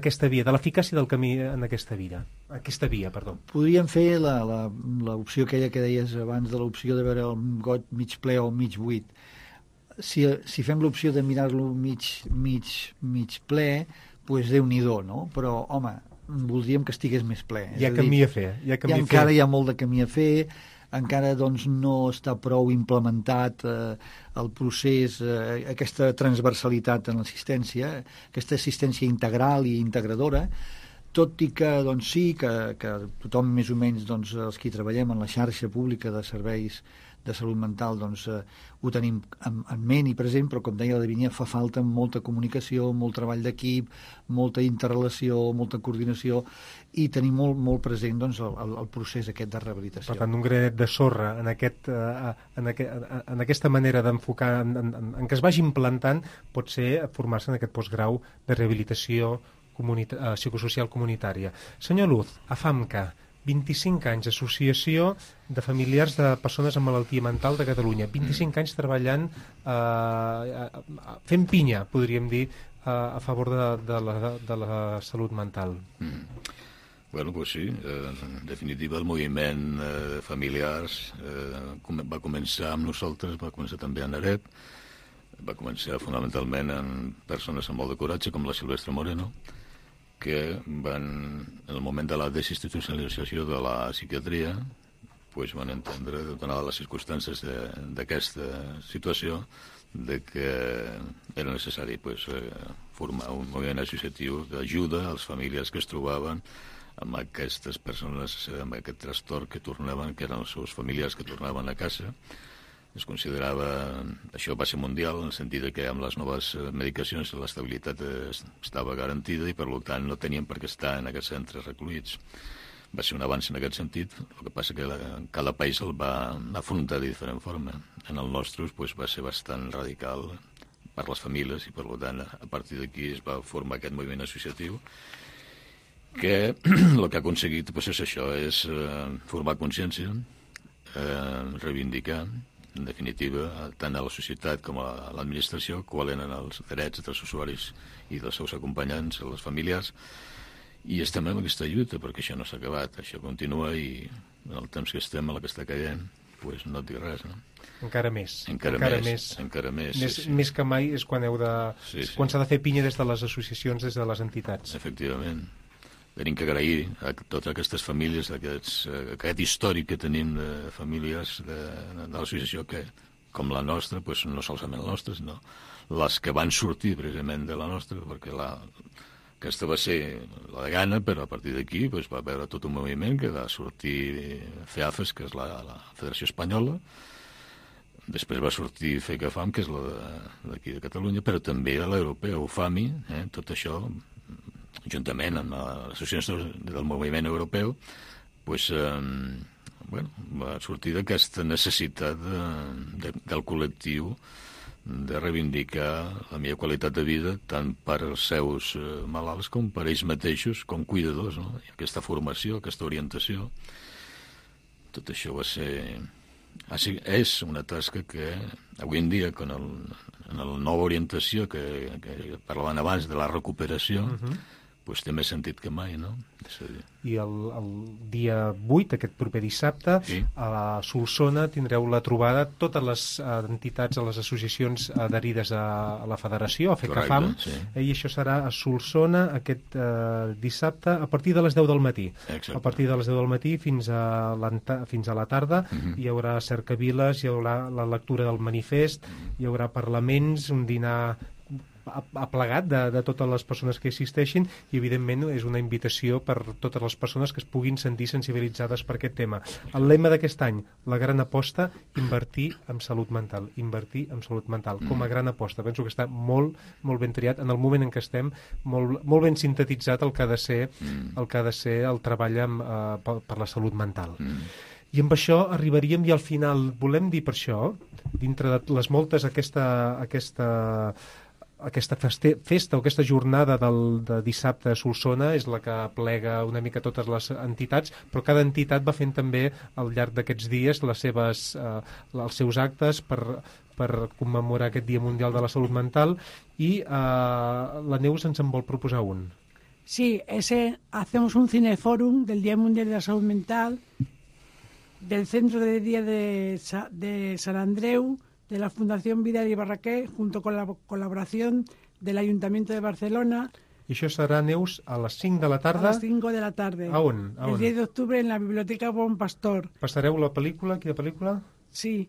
aquesta via, de l'eficàcia del camí en aquesta via, perdó. Podríem fer l'opció aquella que deies abans, de l'opció de veure el got mig ple o mig buit. Si fem l'opció de mirar-lo mig ple, doncs Déu-n'hi-do, no? Però, home, voldríem que estigués més ple. Hi ha camí a fer. Encara hi ha molt de camí a fer, encara no està prou implementat el procés, aquesta transversalitat en l'assistència, aquesta assistència integral i integradora, tot i que sí, que tothom més o menys, els que treballem en la xarxa pública de serveis de salut mental, ho tenim en ment i present, però com deia la Davínia, fa falta molta comunicació, molt treball d'equip, molta interrelació, molta coordinació, i tenir molt present el procés aquest de rehabilitació. Per tant, un granet de sorra en aquesta manera d'enfocar, en què es vagi implantant, pot ser formar-se en aquest postgrau de rehabilitació psicosocial comunitària. Senyor Luz, AFAMCA, 25 anys, Associació de Familiars de Persones amb Malaltia Mental de Catalunya. 25 anys treballant, fent pinya, podríem dir, a favor de la salut mental. Bueno, pues sí, en definitiva el moviment familiars va començar amb nosaltres, va començar també en AREP, va començar fonamentalment en persones amb molt de coratge, com la Silvestre Moreno, que van, en el moment de la desinstitucionalització de la psiquiatria, van entendre, donades les circumstàncies d'aquesta situació, que era necessari formar un moviment associatiu d'ajuda a les famílies que es trobaven amb aquestes persones, amb aquest trastorn que tornaven, que eren els seus familiars que tornaven a casa. Es considerava, això va ser mundial, en el sentit que amb les noves medicacions l'estabilitat estava garantida i per tant no tenien per què estar en aquests centres recluïts. Va ser un avanç en aquest sentit, el que passa que cada país el va afrontar de diferent forma. En el nostre va ser bastant radical per les famílies i per tant a partir d'aquí es va formar aquest moviment associatiu que el que ha aconseguit és això, és formar consciència, reivindicar en definitiva, tant a la societat com a l'administració, quals eren els drets dels usuaris i dels seus acompanyants, les familiars, i estem en aquesta lluita, perquè això no s'ha acabat, això continua i en el temps que estem, a la que està caient, pues no et dic res, no? Encara més. Més que mai és quan quan s'ha de fer pinya des de les associacions, des de les entitats. Efectivament. Tenim que agrair a totes aquestes famílies, aquest històric que tenim de famílies de l'associació que, com la nostra, pues no solament la nostra, sinó les que van sortir precisament de la nostra, perquè aquesta va ser la de Ghana, però a partir d'aquí pues, va haver tot un moviment que va sortir FEAFES, que és la Federació Espanyola, després va sortir FECAFAM, que és la d'aquí de Catalunya, però també l'europea, UFAMI, tot això, juntament amb les associacions del moviment europeu, pues, va sortir d'aquesta necessitat del col·lectiu de reivindicar la millor qualitat de vida tant per als seus malalts com per ells mateixos com cuidadors, no? I aquesta formació, aquesta orientació, tot això va ser... és una tasca que avui en dia, en la nova orientació que parlaven abans de la recuperació, pues té més sentit que mai, no? I el dia 8, aquest proper dissabte, a la Solsona tindreu la trobada totes les entitats, les associacions adherides a la federació, a FECAFAM, i això serà a Solsona aquest dissabte a partir de les 10 del matí. A partir de les 10 del matí fins a la tarda hi haurà cercaviles, hi haurà la lectura del manifest, hi haurà parlaments, un dinar aplegat de totes les persones que assisteixin i evidentment és una invitació per totes les persones que es puguin sentir sensibilitzades per aquest tema. El lema d'aquest any, la gran aposta, invertir en salut mental, com a gran aposta. Penso que està molt ben triat en el moment en què estem, molt ben sintetitzat el que ha de ser el treball per la salut mental. I amb això arribaríem i al final volem dir per això, dintre de les moltes aquesta festa o aquesta jornada de dissabte a Solsona és la que plega una mica totes les entitats, però cada entitat va fent també al llarg d'aquests dies els seus actes per commemorar aquest Dia Mundial de la Salut Mental i la Neus ens en vol proposar un. Sí, hacemos un cineforum del Día Mundial de la Salud Mental del Centro de Día de San Andreu, de la Fundación Vidal y Barraquer, junto con la colaboración del Ayuntamiento de Barcelona. I això serà, Neus, a les 5 de la tarda? A les 5 de la tarda. A on? El 10 d'octubre en la Biblioteca Bon Pastor. Passareu la pel·lícula? Quina pel·lícula? Sí,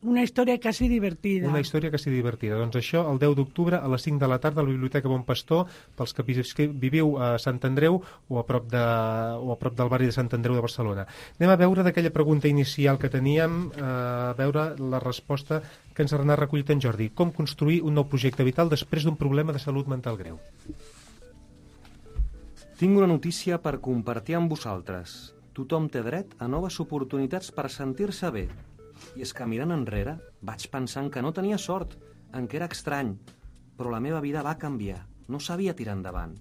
una història quasi divertida. Una història quasi divertida. Doncs això, el 10 d'octubre, a les 5 de la tarda, a la Biblioteca Bon Pastor, pels que viviu a Sant Andreu o a prop del barri de Sant Andreu de Barcelona. Anem a veure d'aquella pregunta inicial que teníem, a veure la resposta que ens ha anat recollit en Jordi. Com construir un nou projecte vital després d'un problema de salut mental greu? Tinc una notícia per compartir amb vosaltres. Tothom té dret a noves oportunitats per sentir-se bé. I és que mirant enrere vaig pensant que no tenia sort, en què era estrany, però la meva vida va canviar, no sabia tirar endavant.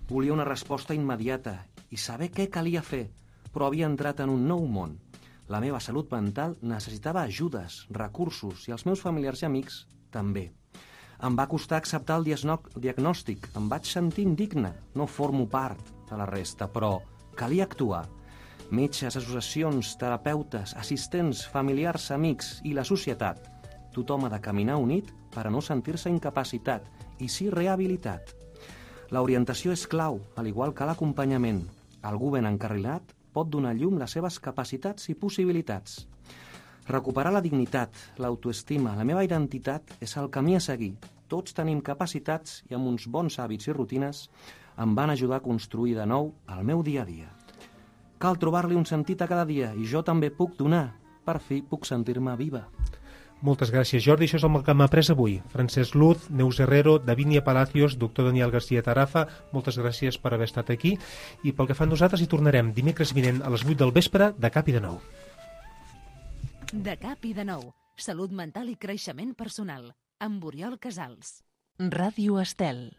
Volia una resposta immediata i saber què calia fer, però havia entrat en un nou món. La meva salut mental necessitava ajudes, recursos i els meus familiars i amics també. Em va costar acceptar el diagnòstic, em vaig sentir indigne, no formo part de la resta, però calia actuar. Metges, associacions, terapeutes, assistents, familiars, amics i la societat. Tothom ha de caminar unit per a no sentir-se incapacitat i sí rehabilitat. L'orientació és clau, al igual que l'acompanyament. Algú ben encarrilat pot donar llum les seves capacitats i possibilitats. Recuperar la dignitat, l'autoestima, la meva identitat és el camí a seguir. Tots tenim capacitats i amb uns bons hàbits i rutines em van ajudar a construir de nou el meu dia a dia. Cal trobar-li un sentit a cada dia i jo també puc donar. Per fi puc sentir-me viva. Moltes gràcies, Jordi. Això és el que hem après avui. Francesc Luz, Neus Herrero, Davinia Palacios, doctor Daniel García Tarafa, moltes gràcies per haver estat aquí. I pel que fa a nosaltres hi tornarem dimecres vinent a les 8 del vespre de cap i de nou. De cap i de nou. Salut mental i creixement personal. Amb Oriol Casals. Ràdio Estel.